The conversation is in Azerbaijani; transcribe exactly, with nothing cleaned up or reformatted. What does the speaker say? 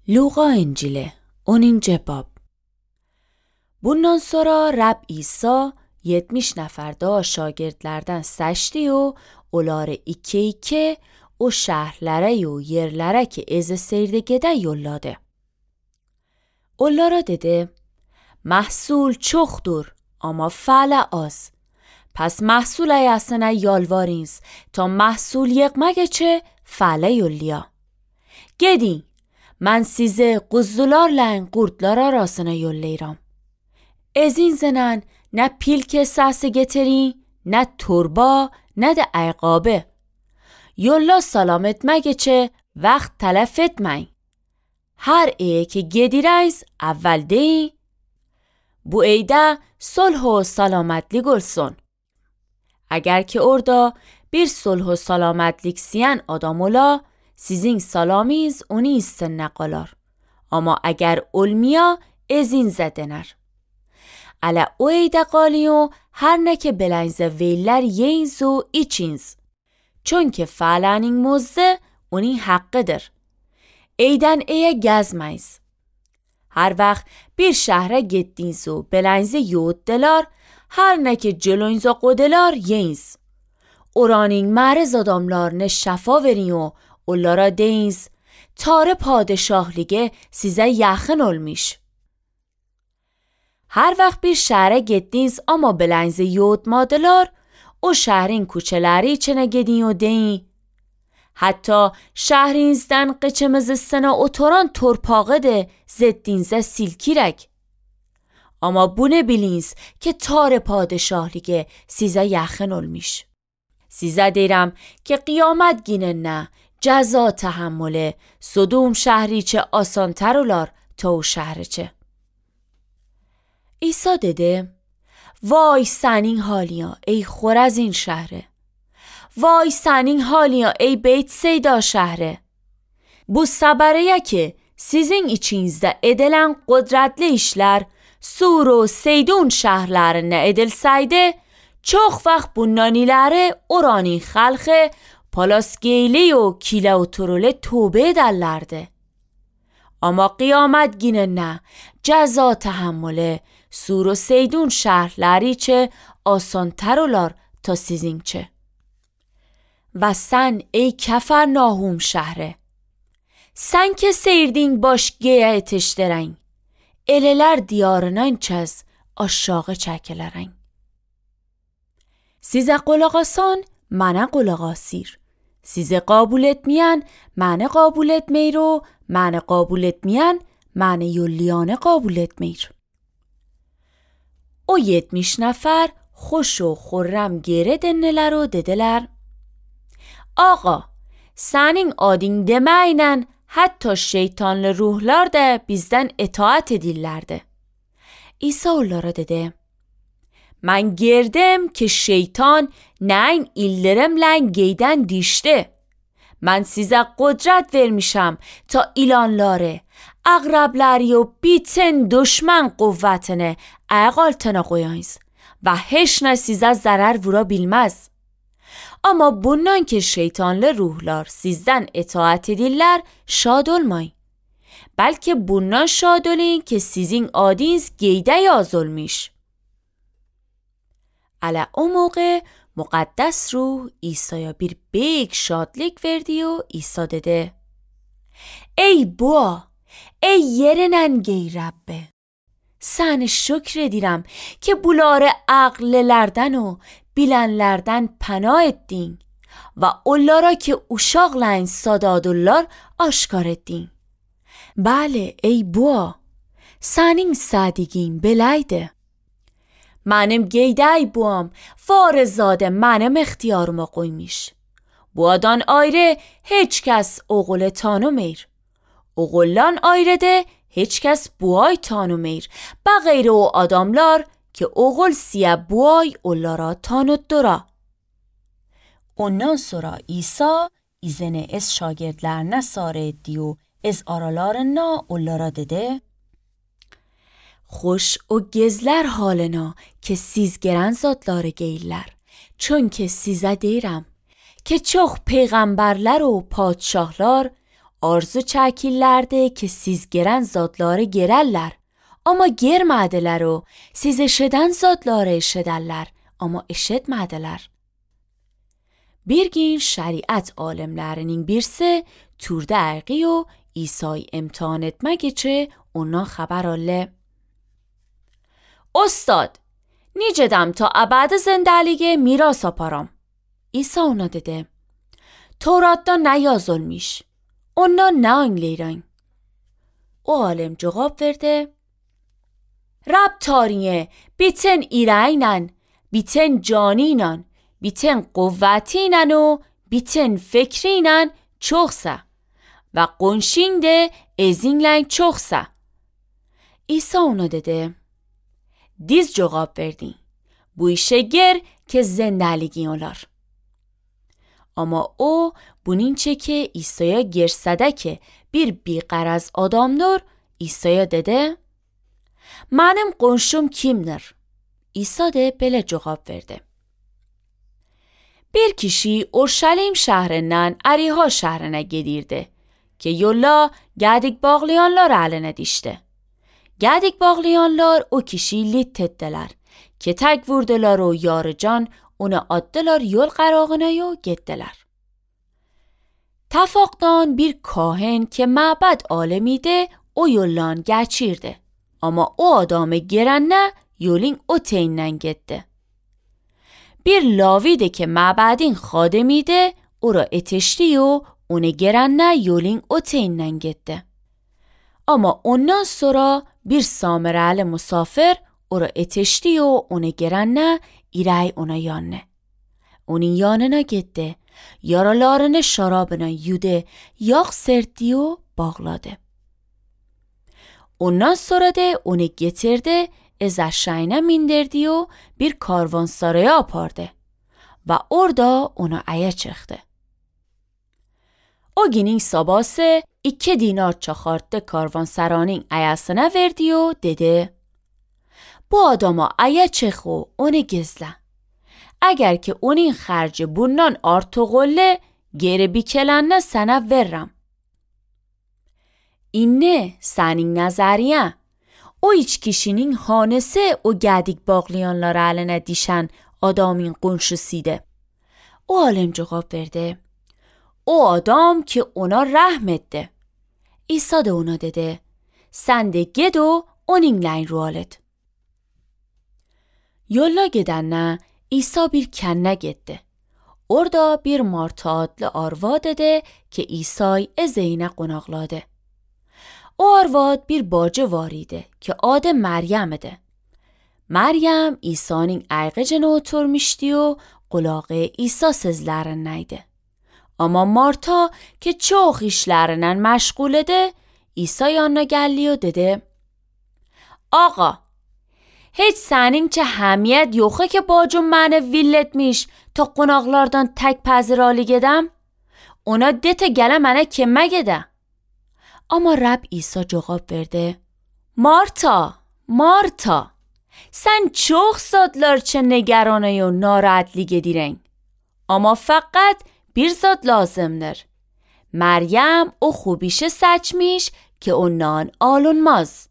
Luqa İncili onuncu bab. Bundan sonra Rab İsa yetmiş nefer daha şagirdlerden seçti o onları iki iki o şehirlere o yerlere ki ezi seyirde gede yolladı. Onlara dedi, محصول çoxdur ama fələ az. Pes محصول ayasına yalvarınız ta محصول yığmağa çe fələ yolluya. Gedin, من size قزدلارla qurdlar arasına yollayıram. Ezin zenen ne پیلک ساسی getirin, ne torba, ne de ayqabı. Yolla salam etmeye çe vaxt telef etmeyin. Her eye که گدیرایز اول deyin, bu eyde صلح و سلامتlik olsun. Eğer ki orada bir صلح و سلامتlik siyen adam ola, sizin salamiz onu istenine qalar. Ama eğer olmaya ezin zedener. Ala o eyde qaliyo her ne که بلنز ویلر یینز و ایچینز. چون که فعلانین موزه اونی حقدر. Eyden eye gezmeyiz. Her vaxt bir şehre gittiniz و بلنز یوددلار her ne که جلوینزا قدلار یینز. Oranın مرز adamlarını şafa verin و onlara deyiniz Tanrı padişahlığı size yakın olmuş. Her vaxt bir şehre gittiniz ama بلنز یودمادلار o şehrin کوچه‌ləri içine gidin و deyin حتی şehrinizden qıçımızısına oturan torpağı da zeddinizə silkirək. Ama bunu biliniz ki Tanrı padişahlığı size yakın olmuş. Size deyirəm ki qiyamət günündə cəza təhəmmülü Sodom şəhri içə asantar olar ta o şəhər içə. İsa dedi, vay senin حالیا ای خورزین şəhri. Vay senin حالیا ey Beytseyda şəhri. Bu səbəriyə ki sizin içinizdə edilən qudretli işlər Sur و Seydun şəhərlərində edilsəydi, çox vaxt bundan iləri oranın xalqı Palasgeyli و kilə و turule tövbə edərlərdi. Amma qiyamət günündə cəza təhəmmülü Sur و Seydun şəhərləri içə asantar olar ta sizinçə. و sen ey Kafarnaum şəhri, sen ki seyirdin başgəyə etişdirən, elələr diyarından çəz aşağı çəkilərən. Sizə qulaq asan, mənə qulaq asir. Sizə qabul etməyən, mənə qabul etməyir و mənə qabul etməyən, mənə yolliyanı qabul etməyir. O yetmiş nəfər xoş و xurrəm geri dönələr و dedilər, Ağa, senin adın demeyle hatta şeytanlı ruhlar da bizden itaat edirlerdi. İsa onlara dedi, من girdim ki şeytan neyin illerimle geyden dişti. من size kudret vermişim ta ilanları, اغربلری و بیتن دشمن قوتنه اقالتنا qoyayız ve hiç ne size zarar vurabilmez. Ama bundan ki şeytanlı ruhlar sizden itaat edirlər, şad olmayın. Belki bundan şad olun ki sizin adınız geyde yaz olmuş. Ala o موقع مقدس روح İsa'ya bir büyük şadlık verdi و İsa dedi, Ey bua, ey yerinen gey Rabbe. Sana şükür edirəm ki bunları ağlılardan و bilenlerden pənah etdin ve onlara ki uşaqlayın sadadırlar aşkar etdin. Bəli ey bua, senin sadiqin beləydi. Mənim geydəy buam varızadə mənim ixtiyarıma qoymuş. Buadan ayrı heç kəs oğulu tanımır. Oğuldan ayrı da heç kəs buay tanımır. Bəğeyri o adamlar که oğul siye buay onlara tanıttıra. Ondan sonra İsa izini ez şagirdlerine sarı etti و ez aralarına onlara dedi, Xoş o gezler halına که siz geren zatları geyirlər. Çünkü size deyirəm که çox peyğəmbərlər و padşahlar arzu çəkirlərdi ki, siz gelen zatları gererler ama germediler o siz eşeden zatları eşederler ama eşitmediler. Bir gün şeriat alimlerinin birisi turda erqi o İsa'yı imtihan etmek için ondan haber aldı. Ustad, necədim ta əbədi zindəliyə miras aparam? İsa ona dedi. Tevratda nə yazılmış? Ondan nə anlayıram? O alim cavab verdi. Rab tariye, bütün irəylə, bütün canıyla, bütün quvvətiylə o, bütün fikrinlə çoxsa və qonşin də ezinlə çoxsa. İsa ona dedi. Diz cevap verdin. Bu işe gir که زندگی olar. Ama o bunun çeki İsa'ya girsede ki bir biqaraz adamdır, İsa'ya dedi. Mənim qonşum kimdir? İsa de belə cevap verdi. Bir kişi Urşalim şəhrindən Əriha şəhrinə gedirdi ki yolla gədik bağlayanlar əlinə düşdü. Gədik bağlayanlar o kişiyi lit etdiler ki tək vurdular o yarıcan onu atdılar yol qərağına yo getdiler. Təfaqdan bir kahin ki məbəd alimiydi o yollan geçirdi. Ama o adamı girənə yolun o teyindən getdi. Bir lavidi ki məbədin xadimiydi o ra etişdi o onu girənə yolun o teyindən getdi. Ama ondan sonra bir samirəli musafir o ra etişdi o onu girənə irəy ona yanına. Onun yanına getdi. Yaralarını şarabına yudu, yağ serdi o bağladı. Ondan sonra da onu getirdi, از eşeğine mindirdi و bir karvansaraya apardı ve orada ona aya çıktı. O günün sabahı iki dinar çakarttı karvansaranın ayasına verdi و dedi bu adama aya çık و onu gizle. Eğer ki onun xərci bundan artıqolle geri bikelenine sana veririm. İnne senin nəzəriyə. O iç kişinin hanesi o gədik bağlayanlar əlinə dişən adamın qonşusuydu. O alim cevap verdi. O adam ki ona rəhm etdi. İsa da ona dedi. Sən də ged o onunla ruhal et. Yolla gedənə İsa bir kənə getdi. Orada bir Marta adlı arvad idi ki İsa'yı ezeyinə qonaqladı. O arvad bir bacı var idi ki adı Məryəm idi. Məryəm İsa'nın ayğıcına oturmuşdu و qulağı İsa sözlərindəydi. Amma Marta ki çox işlərindən məşğul idi, İsa yanına gəldi و dedi. Ağa, heç sənincə həmiyyət yoxu ki bacım məni vill etmiş ta qonaqlardan tək pəziralı gedəm? Ona de te gələ mənə kömək edə. Ama Rab İsa cevap verdi. Marta, Marta, sen çok zatlar çe نگرانه و ناراحتلی گدیرن. Ama faqat bir zat lazımdır. Məryəm o خوبیشه seçmiş ki ondan alınmaz.